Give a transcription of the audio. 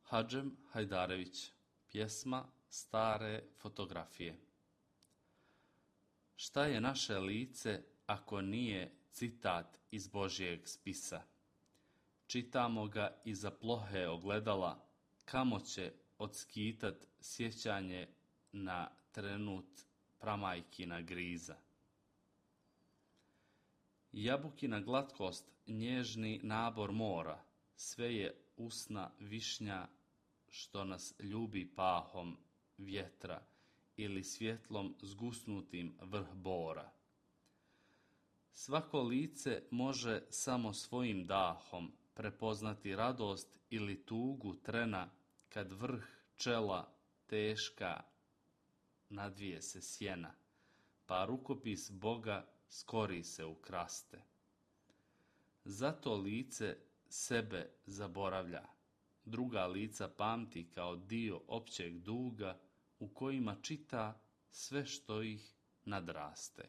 Hadžem Hajdarević, pjesma Stare fotografije. Šta je naše lice ako nije citat iz Božjeg spisa? Čitamo ga iza plohe ogledala, kamo će odskitat sjećanje na trenut pramajkina griza. Jabukina glatkost, nježni nabor mora, sve je usna višnja što nas ljubi pahom vjetra ili svjetlom zgusnutim vrh bora. Svako lice može samo svojim dahom prepoznati radost ili tugu trena kad vrh čela teška nadvije se sjena, pa rukopis Boga skori se ukraste. Zato lice sebe zaboravlja, druga lica pamti kao dio općeg duga u kojima čita sve što ih nadraste.